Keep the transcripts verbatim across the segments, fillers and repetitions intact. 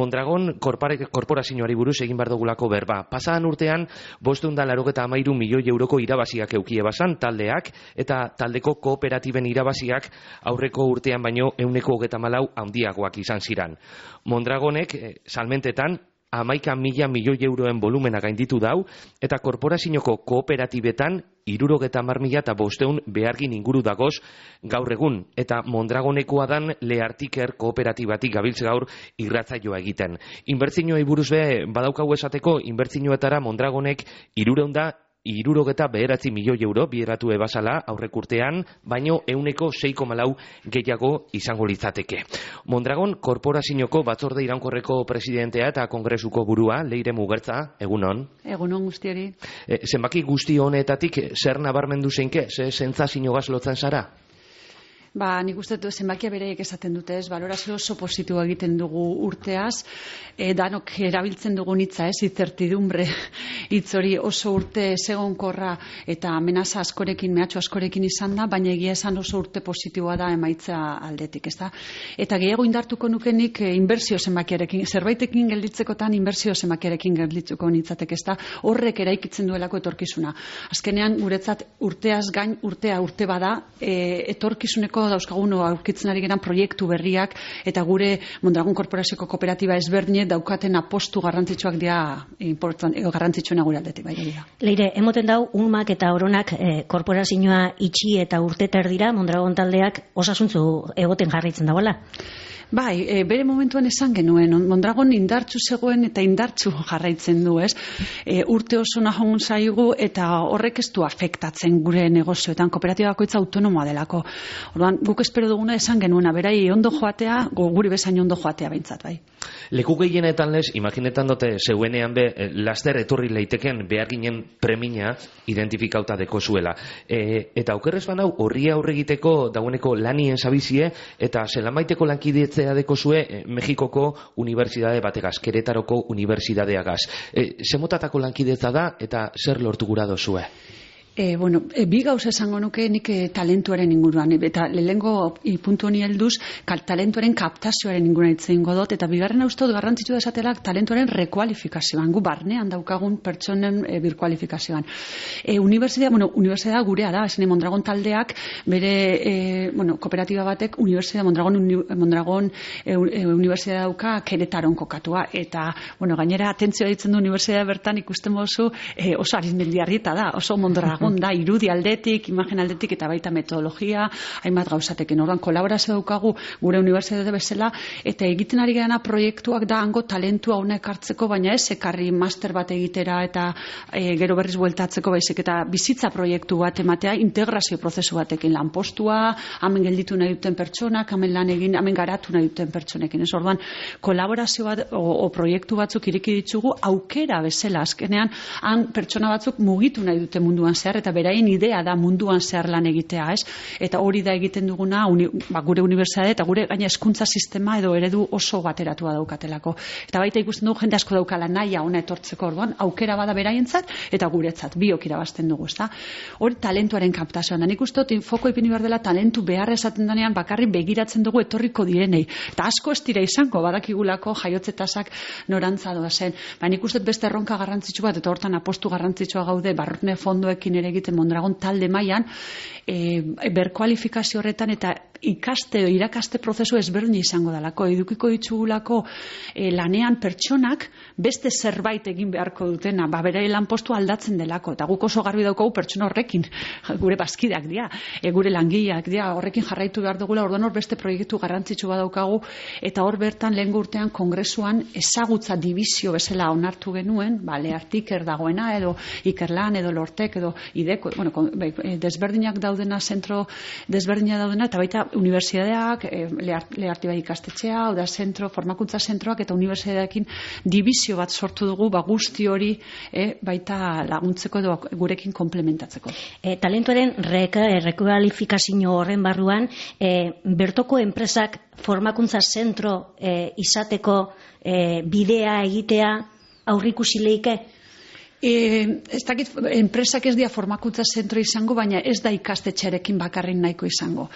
Mondragon korporazioari buruz egin behar dugulako berba. Pasadan urtean, bostehun eta laurogeita hamairu milioi euroko irabaziak eukie basan taldeak, eta taldeko kooperatiben irabaziak aurreko urtean baino ehuneko hogeita hamalau handiagoak izan ziran. Mondragonek eh, salmentetan hamaika mila milioi euroen volumena gainditu dau, eta korporazioko kooperatibetan hirurogeta hamar mila eta bostehun behargin inguru dagoz gaur egun, eta Mondragonekoa dan Leartiker kooperatibatik gabiltz gaur irratzaioa egiten. Inbertsioei buruz be badaukagu esateko, inbertsioetara Mondragonek hirurehun da hirurogeta bederatzi milioi euro bideratu ebasala aurrek urtean, baino ehuneko sei koma lau gehiago izango litzateke. Mondragon korporazioko batzorde iraunkorreko presidentea eta kongresuko burua, Leire Mugertza, egunon. Egunon guztiari. E, zenbaki guzti honetatik zer nabarmendu zeinke, ze sentsazio lotzen zara? Ba, nik uste dut zenbakia bereiek esaten dute, ez, balorazio oso positiboa egiten dugu urteaz, e, danok erabiltzen dugun hitza, ez, incertidumbre hitz hori oso urte ezegonkorra eta amenaza askorekin, mehatxu askorekin izan da, baina egia esan oso urte positiboa da emaitza aldetik, ez da? Eta gehiago indartuko nukenik e, inbertsio zenbakiarekin, zerbaitekin gelditzekotan inbertsio zenbakiarekin gelditzuko nitzatek, ez da? Horrek eraikitzen duelako etorkizuna. Azkenean, guretzat urteaz gain, urtea urte bada, e, etorkizuneko dauzkagun aurkitzen ari geran proiektu berriak eta gure Mondragon korporazioko kooperatiba ezberdine daukaten apostu garrantzitsuak dira garrantzitsuena gure aldetik. Bai, dira. Leire, emoten dau, Unmak eta Oronak eh, korporazioa itxi eta urteter dira Mondragon taldeak osasuntzu egoten jarraitzen dagoela. Bai, e, bere momentuan esan genuen, Mondragon indartsu zegoen eta indartsu jarraitzen du, ez? E, urte oso nahon zaigu eta horrek ez du afektatzen gure negozioetan, kooperatiba bakoitza autonomoa delako. Orduan, guk espero duguna esan genuena, berai ondo joatea, guri bezain ondo joatea behintzat, bai. Leku gehienetan lez, imaginetan dute zeuenean be, laster etorri leiteken behar ginen premina identifikauta deko zuela. E, eta aukerrez banau, horri aurre egiteko dagoeneko lanien zabizie, eta zelamaiteko lankidetzea deko zue eh, Mexikoko unibertsitate bategaz, Keretaroko unibertsitateagaz. E, zemotatako lankidetza da, eta zer lortu gura dozue? E, bueno, e, bi gauza esango nuke nik e, talentuaren inguruan, e, eta lehengo puntu honi helduz, talentuaren kaptazioaren inguruan itzen godot, eta bigarren uste dut garrantzitsu da esatela talentuaren rekualifikazioan, gu barnean daukagun pertsonen e, birkualifikazioan. E, Unibertsitatea, bueno, unibertsitatea gurea da, esan Mondragon taldeak, bere, e, bueno, kooperatiba batek, Unibertsitatea Mondragon, uni, Mondragon e, e, unibertsitatea dauka Keretaron kokatua, eta, bueno, gainera atentzioa ditzen du unibertsitatea bertan ikusten bozu, e, oso arizmendiarrieta da, oso Mondragon da, irudi aldetik, imagen aldetik eta baita metodologia, hainbat gauzateken. Orduan, kolaborazio daukagu gure unibertsitate bezala, eta egiten ari garena proiektuak da hango talentua hona ekartzeko, baina ez ekarri master bat egitera eta e, gero berriz bueltatzeko baizik, eta bizitza proiektu bat ematea, integrazio prozesu batekin lanpostua, hemen gelditu nahi duten pertsonak, hemen lan egin, hemen garatu nahi duten pertsonekin. Ez orduan, kolaborazio bat o, o proiektu batzuk ireki ditugu aukera bezala, azkenean, han pertsona batzuk mugitu nahi dute munduan zehar, eta beraien idea da munduan zehar lan egitea, ez? Eta hori da egiten duguna uni, ba, gure unibertsitate eta gure gaina hezkuntza sistema edo eredu oso bateratua daukatelako. Eta baita ikusten dugu jende asko daukala nahia ona etortzeko, orduan aukera bada beraientzat eta guretzat biok irabazten dugu, ezta? Hori talentuaren kaptazioan da. Nik uste dut foko ipini behar dela talentu behar esaten denean bakarrik begiratzen dugu etorriko direnei. Eta asko ez dira izango badakigulako jaiotzetasak norantza doa zen. Ba, nik uste dut beste erronka garrantzitsu bat eta hortan apostu garrantzitsua gaude barrune fondoekin ere egiten Mondragon talde mailan, e, berkualifikazio horretan eta ikaste, irakaste prozesu ezberdin izango dalako, edukiko ditugulako e, lanean pertsonak beste zerbait egin beharko dutena, ba bere lanpostu aldatzen delako, eta guk oso garbi daukagu pertsona horrekin, gure bazkideak dira, e, gure langileak dira, horrekin jarraitu behar dugula, orduan hor beste proiektu garrantzitsu badaukagu, eta hor bertan lehen urtean kongresuan ezagutza dibizio bezala onartu genuen, ba Leartiker dagoena, edo Ikerlan, edo Lortek, edo Ideko, bueno, desberdinak daudena, zentro desberdina daudena, eta baita unibertsitateak, Learti bai ikastetxea, oda zentro, formakuntza zentroak eta unibertsitateekin dibizio bat sortu dugu, ba guzti hori e, baita laguntzeko edo gurekin komplementatzeko. E, talentuaren rekualifikazio horren barruan, e, bertoko enpresak formakuntza zentro e, izateko e, bidea egitea aurrikusi leike? E, ez dakit, enpresak ez dira formakuntza zentro izango, baina ez da ikastetxearekin bakarrin nahiko izango.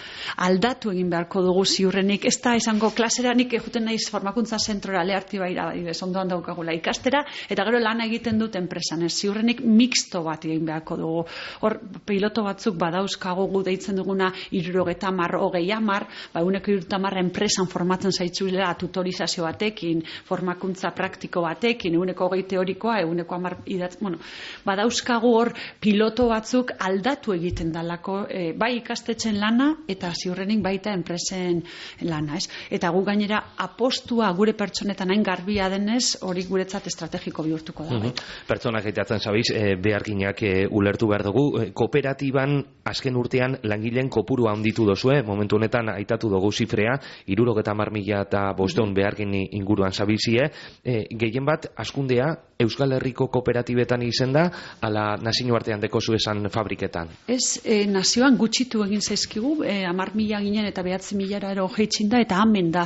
Aldatu egin beharko dugu ziurrenik, ez da izango klaseranik egiten naiz formakuntza zentrora leharti baira, ondoan daukagula ikastera, eta gero lan egiten dut enpresan, ez ziurrenik mixto bat egin beharko dugu. Hor, piloto batzuk badauzkago gu deitzen duguna irurogeta mar, hogei amar, ba, uneko irurogeta mar enpresan formatzen zaitzuela tutorizazio batekin, formakuntza praktiko batekin, uneko hogei teorikoa, uneko amar idatz, bueno, badauzkagu hor piloto batzuk aldatu egiten dalako, e, bai ikastetxen lana eta ziurrenik baita enpresen lana, ez? Eta gu gainera apostua gure pertsonetan hain garbia denez, hori guretzat estrategiko bihurtuko da. Mm-hmm. Pertsonak aitatzen zabiz, e, beharginak e, ulertu behar dugu, e, kooperatiban azken urtean langileen kopurua handitu dozue, momentu honetan aitatu dugu zifrea, hirurogeta hamar mila eta bosteun behargin inguruan zabilzie, e, gehien bat askundea Euskal Herriko kooperatibetan izen da, ala nazio artean dekozu esan fabriketan? Ez, e, nazioan gutxitu egin zaizkigu, e, amar mila ginen eta behatzi milara ero jeitxin da, eta hamen da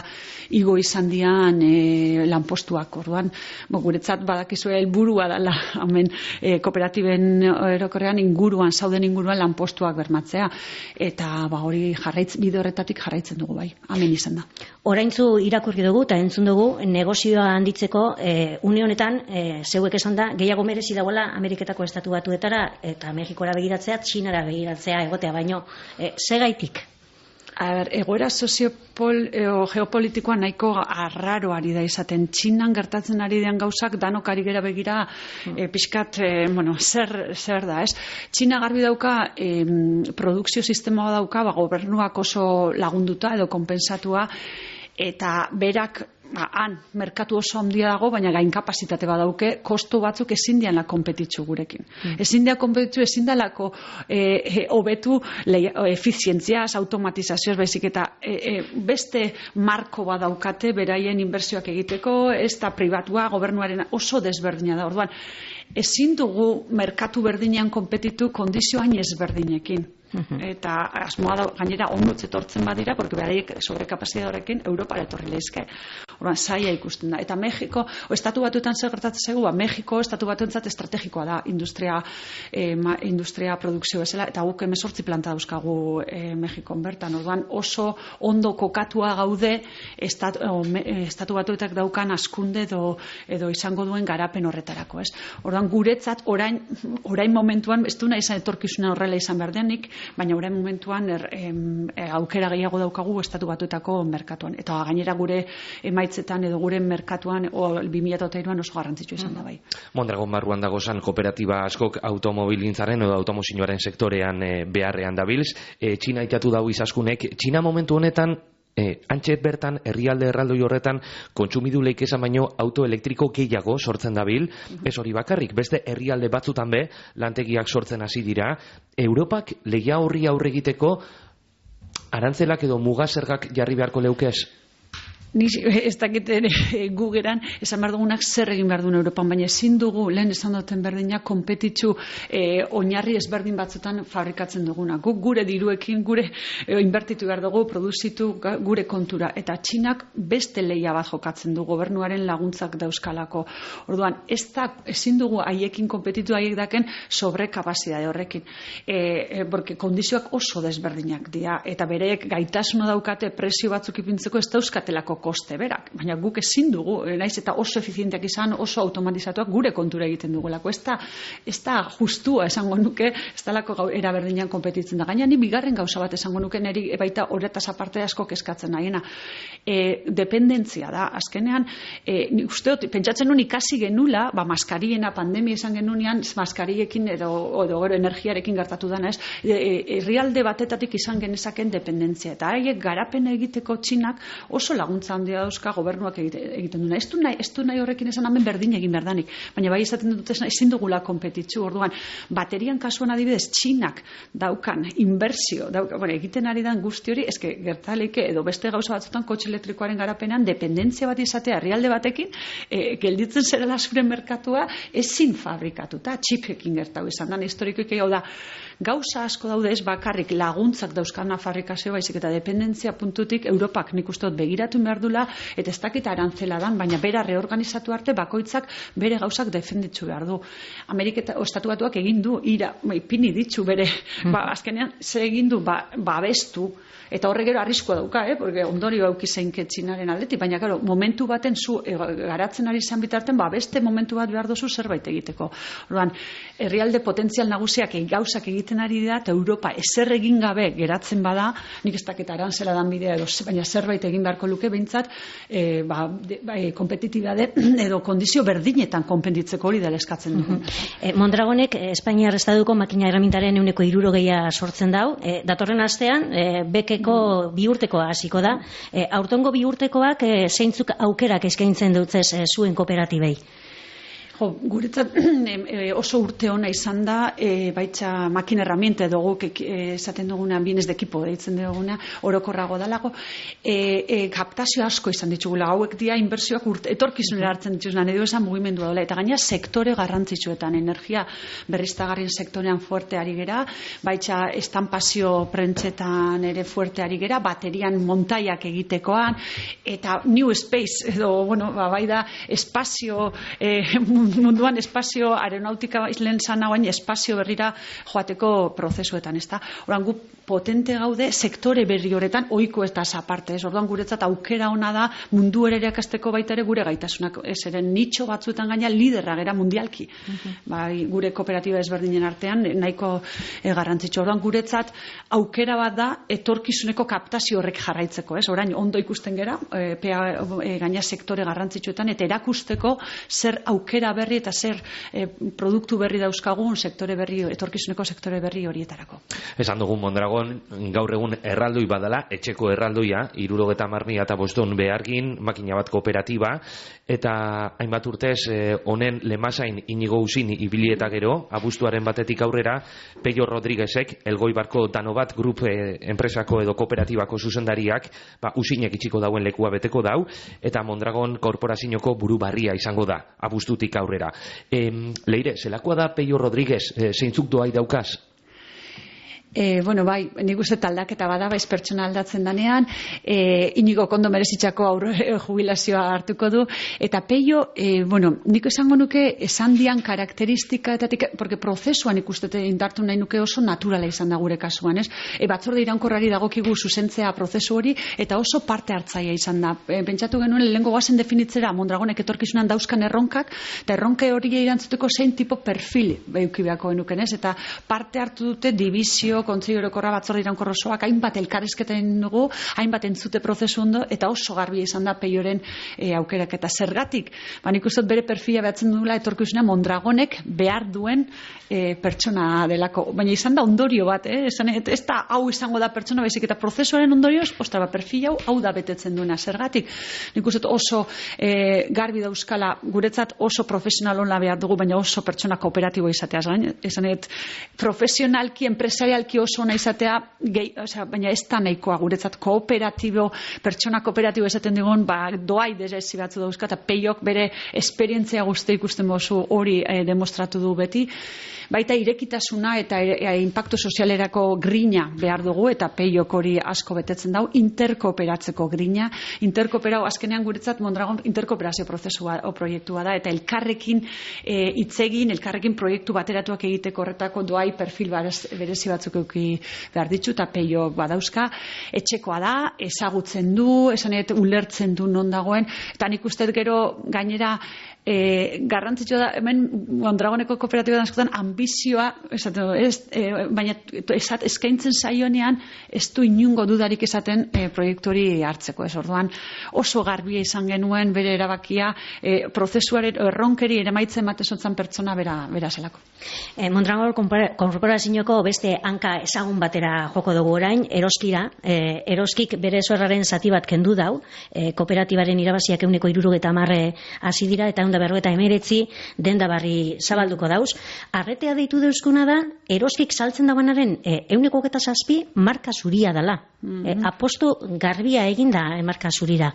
igo izan dian e, lanpostuak, orduan, bo, guretzat badakizu helburua dela, hamen e, kooperatiben erokorrean inguruan, zauden inguruan lanpostuak bermatzea, eta ba, hori jarraitz, bide horretatik jarraitzen dugu bai, hamen izan da. Oraintzu irakurri dugu eta entzun dugu negozioa handitzeko e, une honetan e, zeuek esan da gehiago merezi dagoela Ameriketako estatu batuetara eta Mexikora begiratzea, Txinara begiratzea egotea, baino e, segaitik? A ber, egoera soziopol, e, geopolitikoa nahiko arraro ari da izaten. Txinan gertatzen ari den gauzak danok ari gera begira e, pixkat, e, bueno, zer, zer da, ez? Txina garbi dauka e, produkzio sistema dauka, ba, gobernuak oso lagunduta edo konpensatua, eta berak ba, han, merkatu oso handia dago, baina gainkapasitate badauke, kostu batzuk ezin dianla konpetitzu gurekin. Mm. Ezin dia konpetitzu, ezin dalako hobetu e, e, efizientziaz, automatizazioaz, baizik eta e, e, beste marko badaukate beraien inbertsioak egiteko, ez da pribatua, gobernuaren oso desberdina da. Orduan, ezin dugu merkatu berdinean konpetitu kondizio hain ezberdinekin. Eta asmoa da, gainera ondotz etortzen badira, porque beraiek sobrekapazitatea horrekin Europara etorri leizke. Orduan, zaila ikusten da. Eta Mexiko, o estatu batuetan zer gertatzen zaigu, ba, Mexiko estatu batuentzat estrategikoa da industria, eh, ma, industria produkzio bezala, eta guk hemezortzi planta dauzkagu eh, Mexikon bertan. Orduan, oso ondo kokatua gaude estatu, o, me, estatu batuetak daukan askunde edo, edo izango duen garapen horretarako, ez? Orduan, guretzat, orain, orain momentuan, ez du nahi izan etorkizuna horrela izan behar denik, baina orain momentuan er, em, aukera gehiago daukagu estatu batuetako merkatuan. Eta gainera gure emaitzetan edo gure merkatuan o bi mila hiruan oso garrantzitsua izan da bai. Mondragon barruan dagozan kooperatiba askok automobilintzaren edo automozioaren sektorean e, beharrean dabilz. E, Txina itatu dau izaskunek. Txina momentu honetan E, antxet bertan, herrialde erraldoi horretan, kontsumiduleik esan baino autoelektriko gehiago sortzen dabil, ez hori bakarrik, beste herrialde batzutan be, lantegiak sortzen hasi dira. Europak lehia horri aurre egiteko arantzelak edo mugasergak jarri beharko leukez? Ni ez dakit gu geran esan behar dugunak zer egin behar duen Europan, baina ezin dugu lehen esan duten berdinak konpetitzu e, oinarri ezberdin batzutan fabrikatzen duguna. Guk gure diruekin, gure e, inbertitu behar dugu, produzitu gure kontura. Eta Txinak beste leia bat jokatzen du, gobernuaren laguntzak dauzkalako. Orduan, ez da, ezin dugu haiekin konpetitu haiek daken sobrekapazidade horrekin. E, e, porque kondizioak oso desberdinak dira, eta bereek gaitasuna daukate presio batzuk ipintzeko ez dauzkatelako koste berak, baina guk ezin dugu, naiz eta oso efizienteak izan, oso automatizatuak gure kontura egiten dugulako. Ez da, ez da justua esango nuke, ez dalako era berdinean konpetitzen da. Gaina ni bigarren gauza bat esango nuke neri baita horretaz aparte asko kezkatzen nahiena. E, dependentzia da, azkenean, e, usteot, pentsatzen nun ikasi genula, ba, maskariena, pandemia izan genunean, maskariekin edo, edo gero energiarekin gertatu dana, ez, herrialde batetatik izan genezaken dependentzia. Eta haiek garapen egiteko Txinak oso laguntza handia dauzka gobernuak egiten duna. Ez du nahi, ez du nahi horrekin esan hemen berdin egin berdanik, baina bai izaten dut ezin dugula konpetitzu. Orduan, baterian kasuan adibidez Txinak daukan inbertsio, dauka, bueno, egiten ari dan guzti hori, eske gertaleke edo beste gauza batzutan kotxe elektrikoaren garapenean dependentzia bat izatea herrialde batekin, e, gelditzen zerela zure merkatua ezin fabrikatuta, txipekin gertatu izan da, historikoik hau da, gauza asko daude ez bakarrik laguntzak dauzkana fabrikazio baizik eta dependentzia puntutik Europak nik uste dut begiratu behar dula eta ez dakit arantzela dan, baina bera reorganizatu arte bakoitzak bere gauzak defenditzu behar du. Ameriketa Estatu Batuak egin du ira, ipini ditzu bere, ba, azkenean ze egin du ba, babestu eta horre gero arriskoa dauka, eh? Porque ondorio auki zeinke Txinaren aldetik, baina claro, momentu baten zu e, garatzen ari izan bitarten, ba beste momentu bat behar dozu zerbait egiteko. Orduan, herrialde potentzial nagusiak gauzak egiten ari dira eta Europa ezer egin gabe geratzen bada, nik ez dakit arantzela dan bidea edo, baina zerbait egin beharko luke behintzat, e, ba, de, ba, e, kompetitibade edo kondizio berdinetan konpenditzeko hori dela eskatzen dugu. E, Mondragonek Espainiar Estatuko makina erramintaren ehuneko hirurogeia sortzen dau. E, datorren astean, e, bekeko bi urtekoa hasiko da. E, aurtengo bi urtekoak e, zeintzuk aukerak eskaintzen dutzez e, zuen kooperatibei? Jo, guretzat oso urte ona izan da, e, baitza makina herramienta dugu, esaten duguna, bienes de equipo deitzen duguna, orokorrago dalago, e, e, kaptazio asko izan ditugula, hauek dia inbertsioak urte, etorkizunera hartzen dituzuna, edo esan mugimendua dola, eta gaina sektore garrantzitsuetan, energia berriztagarrien sektorean fuerte ari gera, baitza estampazio prentsetan ere fuerte ari gera, baterian montaiak egitekoan, eta new space, edo, bueno, ba, bai da, espazio, e, munduan espazio aeronautika islen zana guain espazio berrira joateko prozesuetan, ezta? Oran gu potente gaude sektore berri horretan ohiko ez da aparte, ez? Orduan guretzat aukera ona da mundu ere irakasteko baita ere gure gaitasunak, ez eren nitxo batzuetan gaina liderra gera mundialki. Uh-huh. Bai, gure kooperatiba ezberdinen artean nahiko e, garrantzitsu. Orduan guretzat aukera bat da etorkizuneko kaptazio horrek jarraitzeko, ez? Orain ondo ikusten gera, e, pea, e, gaina sektore garrantzitsuetan eta erakusteko zer aukera berri eta zer e, produktu berri dauzkagun sektore berri, etorkizuneko sektore berri horietarako. Esan dugun Mondragon, gaur egun erraldoi badala, etxeko erraldoia, hirurogeta hamar mila eta boston behargin, makina bat kooperatiba, eta hainbat urtez honen e, lemasain Inigo Usin ibilieta gero, abuztuaren batetik aurrera, Peio Rodriguezek, Elgoibarko Danobat Group e, enpresako edo kooperatibako zuzendariak, ba, Usinek itxiko dauen lekua beteko dau, eta Mondragon korporazioko buru barria izango da, abuztutik aurrera. E, Leire, zelakoa da Peio Rodriguez, e, zeintzuk doai daukaz? E, bueno, bai, nik uste taldaketa bada, baiz pertsona aldatzen danean, e, Inigo kondo merezitzako aurre jubilazioa hartuko du, eta Peio, e, bueno, nik esango nuke esan dian karakteristika, etatik, porque prozesuan ikustete indartu nahi nuke oso naturala izan da gure kasuan, ez? E, batzorde iraunkorrari dagokigu zuzentzea prozesu hori, eta oso parte hartzaia izan da. E, pentsatu genuen, lehengo goazen definitzera Mondragonek etorkizunan dauzkan erronkak, eta erronke hori erantzuteko zein tipo perfil eukibeako genuken, ez? Eta parte hartu dute dibizio, Kontseilu Orokorra batzorde iraunkorra osoak hainbat elkarrizketen dugu, hainbat entzute prozesu ondo eta oso garbia izan da Peioren e, aukerak eta zergatik. Ba, nik uste bere perfila behatzen dugula etorkizuna Mondragonek behar duen e, pertsona delako. Baina izan da ondorio bat, eh? Esan, ez da hau izango da pertsona, baizik eta prozesuaren ondorioz, ostra, ba, perfil hau, hau da betetzen duena. Zergatik, nik uste oso e, garbi dauzkala, guretzat oso profesional hona behar dugu, baina oso pertsona kooperatibo izatea. Esan, profesionalki, empresarialki oso ona izatea, gehi, osea, baina ez da nahikoa guretzat kooperatibo, pertsona kooperatibo esaten digun, ba, doai desezi batzu dauzka, eta Peiok bere esperientzia guzti ikusten bozu hori e, demostratu du beti. Baita irekitasuna eta e, e, impacto sozialerako grina behar dugu, eta Peiok hori asko betetzen dau, interkooperatzeko grina. Interkooperau, azkenean guretzat Mondragon interkooperazio prozesua o proiektua da, eta elkarrekin e, itzegin, elkarrekin proiektu bateratuak egiteko horretako doai perfil berezi batzuk euki behar ditzu, eta Peio badauzka, etxekoa da, ezagutzen du, esanet ulertzen du non dagoen, eta nik uste gero gainera E, garrantzitsua da, hemen Mondragoneko kooperatiba askotan ambizioa, esaten, ez, e, baina esat, eskaintzen zaionean ez du inungo dudarik esaten e, proiektu hori hartzeko, ez orduan oso garbia izan genuen bere erabakia e, prozesuaren erronkeri eremaitzen matezotzan pertsona bera, bera zelako. E, Mondragon korporazioko beste hanka ezagun batera joko dugu orain, Eroskira, e, Eroskik bere zorraren zati bat kendu dau, e, kooperatibaren irabaziak ehuneko hirurogeta hamar hasi dira, eta berrogeta emeretzi denda barri zabalduko dauz. Arretea deitu deuskuna da, Eroskik saltzen dagoenaren ehuneko hogeita zazpi marka zuria dela. Mm-hmm. E, apostu garbia eginda e, marka zurira.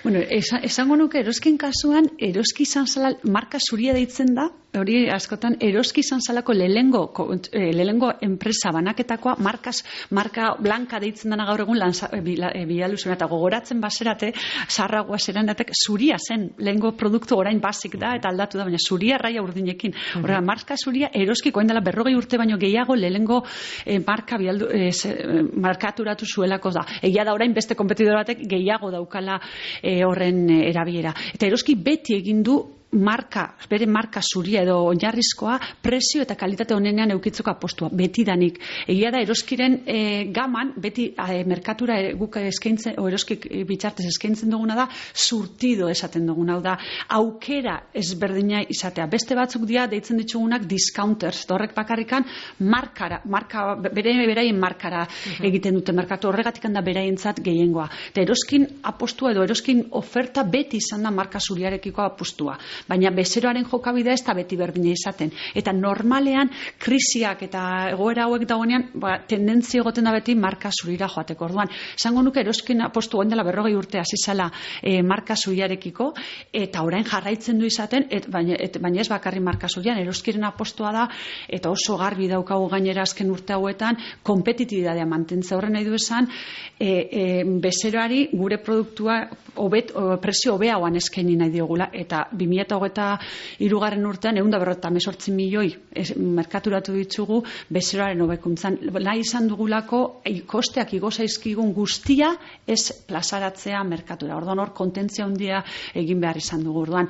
Bueno, esan, esango nuke eroskin kasuan, eroski izan zala, marka zuria deitzen da, hori askotan, eroski izan zalako lehengo, eh, lehengo enpresa banaketakoa, markas, marka blanka deitzen dana gaur egun lanza, e, bialuzuna, eta gogoratzen baserate, zarragoa zerandatek, zuria zen, lehengo produktu orain basik da, eta aldatu da, baina zuria raia urdinekin. Horrela, marka zuria eroski, koen dela berrogei urte baino gehiago, lehengo eh, marka bialdu, eh, markaturatu zuelako da. Egia da orain beste kompetidor batek gehiago daukala E, horren erabilera. Eta eroski beti egin du marka, bere marka zuria edo oinarrizkoa prezio eta kalitate honenean eukitzeko apostua, betidanik. Egia da eroskiren e, gaman, beti e, merkatura e, guk eskaintzen, o eroskik bitxartez eskaintzen duguna da, surtido esaten duguna, hau da, aukera ezberdina izatea. Beste batzuk dira deitzen ditugunak discounters, horrek bakarrikan markara, marka, bere beraien markara uh-huh. egiten dute merkatu, horregatik handa beraientzat gehiengoa. Eta eroskin apostua edo eroskin oferta beti izan da marka zuriarekiko apostua. Baina bezeroaren jokabidea ez da beti berdina izaten. Eta normalean, krisiak eta egoera hauek dagoenean, ba, tendentzia egoten da beti marka zurira joateko. Orduan, esango nuke eroskin apostu goen dela berrogei urte hasi zala e, marka zuriarekiko, eta orain jarraitzen du izaten, et, baina, et, baina ez bakarri marka zurian, eroskiren apostua da, eta oso garbi daukagu gainera azken urte hauetan, kompetitibitatea mantentzea horren nahi du esan, e, e, bezeroari gure produktua obet, o, presio hobeagoan eskaini nahi diogula, eta bi mila hogeita hirugarren urtean ehun eta berrogeita hemezortzi milioi es, merkaturatu ditugu bezeroaren hobekuntzan. Nahi izan dugulako kosteak igo zaizkigun guztia ez plazaratzea merkatura. Orduan hor kontentzia handia egin behar izan dugu. Orduan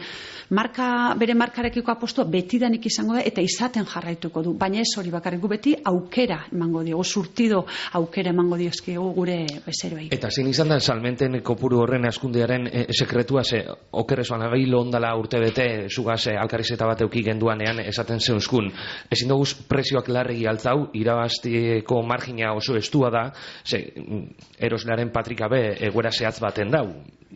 marka, bere markarekiko apostua betidanik izango da eta izaten jarraituko du. Baina ez hori bakarrik, beti aukera emango diogu, surtido aukera emango diozkigu gure bezeroei. Eta zein izan da salmenten kopuru horren askundearen e, sekretua, ze okerrezoan agailo ondala urte bete, zugaz eh, alkarrizeta bat euki genduanean esaten zeuzkun. Ezin dugu prezioak larregi altzau, irabaztiko margina oso estua da, ze, eroslearen patrika be egoera zehatz baten dau.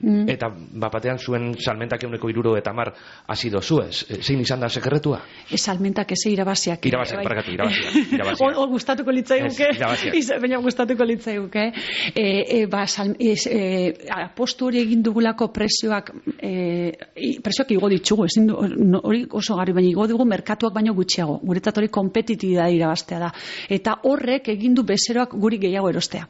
Mm. Eta bapatean zuen salmentak euneko iruro eta mar hasi dozuez. Zein izan da sekretua? Ez salmentak eze irabaziak. Irabaziak, bai. Barkatu, irabaziak. irabaziak. O, o gustatuko litzaiuke. Baina gustatuko litzaiuke. E, e, ba, sal, e, e, apostu hori egin dugulako prezioak, e, prezioak igo ditugu, ezin du, no, hori oso garri, baina igo dugu merkatuak baino gutxiago. Guretzat hori kompetitibitate irabaztea da. Eta horrek egin du bezeroak guri gehiago erostea.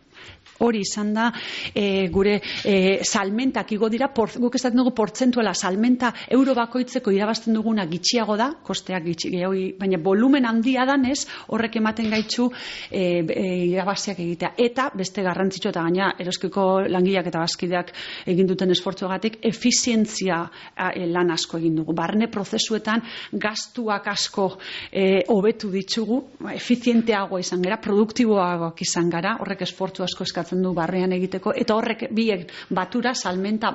Hori izan da e, gure e, salmentak igo dira, por, guk estaten dugu portzentuela salmenta euro bakoitzeko irabazten duguna gitxiago da, kosteak gitxi, baina volumen handia danez horrek ematen gaitzu e, e, irabaziak egitea. Eta beste garrantzitsu eta gaina eroskiko langileak eta bazkideak egin duten esfortzuagatik efizientzia e, lan asko egin dugu. Barne prozesuetan gastuak asko e, hobetu ditugu, efizienteagoa izan gara, produktiboagoak izan gara, horrek esfortzu asko eskatzen du barrean egiteko, eta horrek biek batura salmenta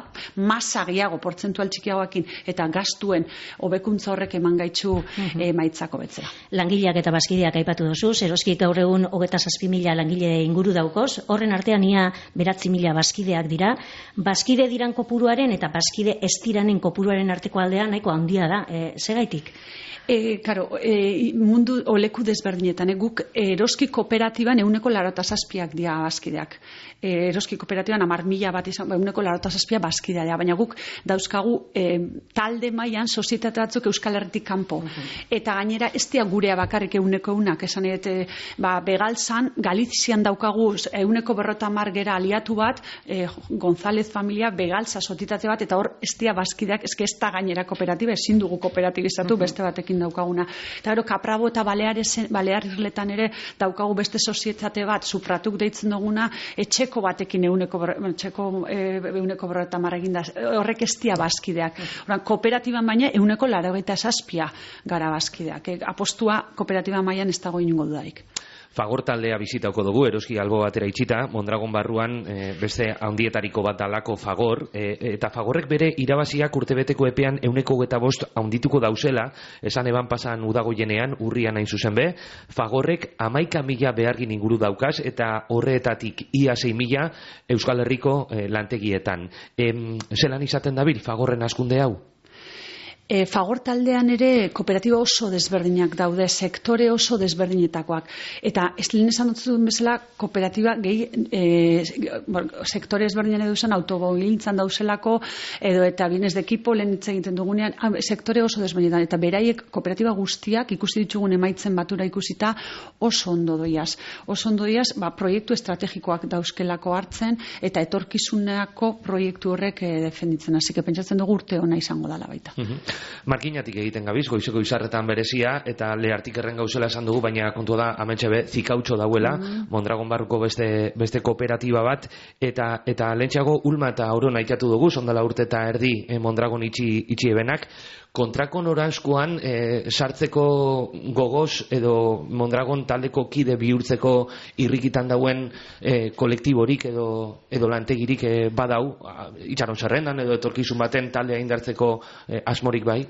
masa gehiago portzentual txikiagoekin eta gastuen hobekuntza horrek eman gaitzu uh-huh. emaitzako betzera. Langileak eta bazkideak aipatu duzu, eroskik gaur egun hogeita zazpi mila langile inguru daukoz, horren artean ia beratzi mila bazkideak dira, bazkide diran kopuruaren eta bazkide ez diranen kopuruaren arteko aldea nahiko handia da, e, segaitik? E, karo, e, mundu oleku desberdinetan, e, guk eroski kooperatiban euneko larota zazpiak dira bazkideak. E, eroski kooperatiban amar mila bat izan, euneko larota zazpia bazkidea dira, baina guk dauzkagu e, talde mailan sozietate batzuk Euskal Herritik kanpo. Uh-huh. Eta gainera ez dira gurea bakarrik euneko unak, esan edete, ba, Begalzan, Galizian daukagu euneko berrota mar gera aliatu bat, e, González familia, Begalza sozietate bat, eta hor ez dira bazkideak, ez ez da gainera kooperatiba, ezin dugu kooperatibizatu uh-huh. beste batekin daukaguna. Eta gero, Kaprabo eta Balearirletan ere daukagu beste sozietate bat, supratuk deitzen duguna, etxeko batekin euneko, etxeko euneko berreta marrekin da, horrek ez dia bazkideak. Horan, kooperatiban baina euneko laurogeita zazpia gara bazkideak. E, apostua kooperatiban mailan ez dago inungo dudarik. Fagor taldea bizitauko dugu, eroski albo batera itxita, Mondragon barruan e, beste handietariko bat dalako Fagor, e, eta Fagorrek bere irabaziak urtebeteko epean euneko eta bost handituko dauzela, esan eban pasan udagoienean, urrian hain zuzen be, Fagorrek amaika mila behargin inguru daukaz, eta horretatik ia sei mila Euskal Herriko e, lantegietan. E, zelan izaten dabil Fagorren askunde hau? E, Fagor taldean ere kooperatiba oso desberdinak daude, sektore oso desberdinetakoak. Eta ez lehen esan dut zuen bezala, kooperatiba gehi e, sektore desberdinan edo zen automobiltzan dauzelako, edo eta bienes de ekipo lehen hitz egiten dugunean, sektore oso desberdinetan. Eta beraiek kooperatiba guztiak ikusi ditugun emaitzen batura ikusita oso ondo doiaz. Oso ondo doiaz, ba, proiektu estrategikoak dauzkelako hartzen, eta etorkizuneako proiektu horrek e, defenditzen. Hasi que pentsatzen dugu urte ona izango dela baita. Mm-hmm. Markinatik egiten gabiz, goizeko izarretan berezia, eta Leartikerren gauzela esan dugu, baina kontua da, amentxe be, zikautxo dauela, mm-hmm. Mondragon barruko beste, beste kooperatiba bat, eta eta lehentxeago Ulma eta Aurona aitatu dugu, sondala urte eta erdi eh, Mondragon itxi, itxi ebenak, kontrako noranzkoan e, sartzeko gogoz edo Mondragon taldeko kide bihurtzeko irrikitan dauen e, kolektiborik edo, edo lantegirik e, badau, itxaron zerrendan edo etorkizun baten taldea indartzeko e, asmorik bai?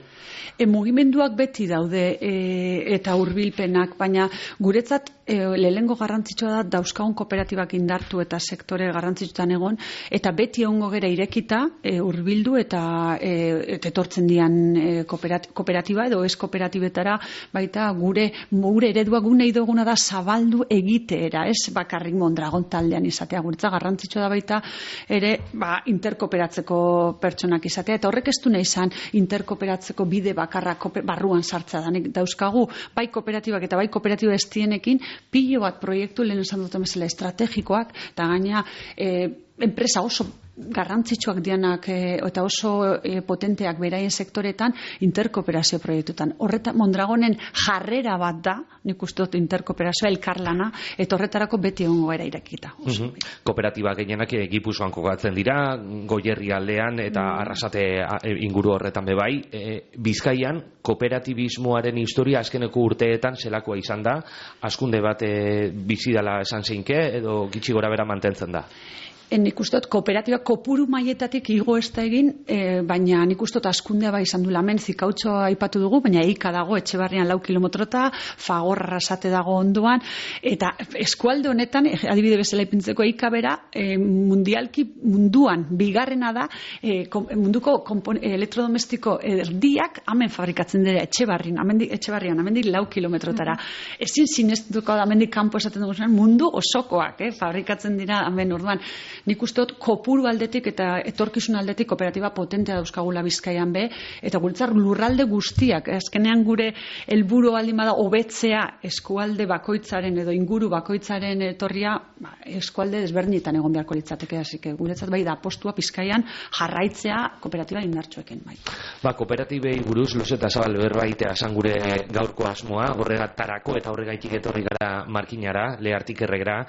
E, mugimenduak beti daude e, eta hurbilpenak, baina guretzat e, lehengo garrantzitsua da dauzkagun kooperatibak indartu eta sektore garrantzitsutan egon, eta beti egongo gera irekita e, hurbildu eta, e, eta etortzen dian e, kooperatiba edo ez kooperatibetara, baita gure gure eredua gu nahi duguna da zabaldu egiteera, ez bakarrik Mondragon taldean izatea. Guretza garrantzitsua da baita ere ba, interkooperatzeko pertsonak izatea, eta horrek ez du nahi izan interkooperatzeko bide bakarra barruan sartza danik dauzkagu, bai kooperatibak eta bai kooperatiba estienekin pilo bat proiektu lehen esan duten bezala estrategikoak, eta gaina e, enpresa oso garrantzitsuak dianak e, eta oso e, potenteak beraien sektoretan interkooperazio proiektutan. Horreta Mondragonen jarrera bat da, nik uste dut interkooperazioa elkarlana, eta horretarako beti egongo era irekita. Mm-hmm. Kooperatiba gehienak Gipuzkoan kokatzen dira, Goierri aldean eta mm. Arrasate inguru horretan bebai. E, Bizkaian kooperatibismoaren historia azkeneko urteetan zelakoa izan da, hazkunde bat e, bizidala esan zeinke edo gitxi gora bera mantentzen da? Nik uste dut kooperatiba kopuru maietatik igo ez da egin, e, baina nik uste dut askundea bai izan du lamen, zikautxoa aipatu dugu, baina eika dago Etxebarrian lau kilometrota, Fagor Arrasate dago ondoan, eta eskualde honetan, adibide bezala ipintzeko eika bera, e, mundialki munduan, bigarrena da, e, kom, munduko kompon, elektrodomestiko erdiak hemen fabrikatzen dira Etxebarrian, amendik, Etxebarrian, amendik lau kilometrotara. Mm-hmm. Ezin sinestuko da amendik kanpo esaten dugu zen, mundu osokoak, eh, fabrikatzen dira hemen orduan. Nik uste dut kopuru aldetik eta etorkizun aldetik kooperatiba potentea dauzkagula Bizkaian be, eta guretzat lurralde guztiak, azkenean gure helburu baldin bada hobetzea eskualde bakoitzaren edo inguru bakoitzaren etorria, ba, eskualde desberdinetan egon beharko litzateke, hasi que guretzat bai da apostua Bizkaian jarraitzea kooperatiba indartsuekin bai. Ba, kooperatibei buruz luze eta zabal berbaitea esan gure gaurko asmoa, horregatarako eta horregaitik etorri gara Markinara, Leartikerrera,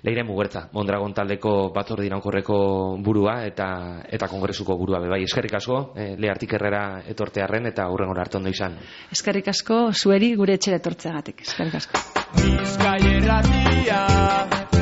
Leire Mugertza, Mondragon taldeko batzorde iraunkorreko burua eta eta kongresuko burua be bai. Eskerrik asko eh, Leartikerrera etortearren eta hurrengora arte ondo izan. Eskerrik asko zueri gure etxera etortzeagatik. Eskerrik asko. Bizkaia irratia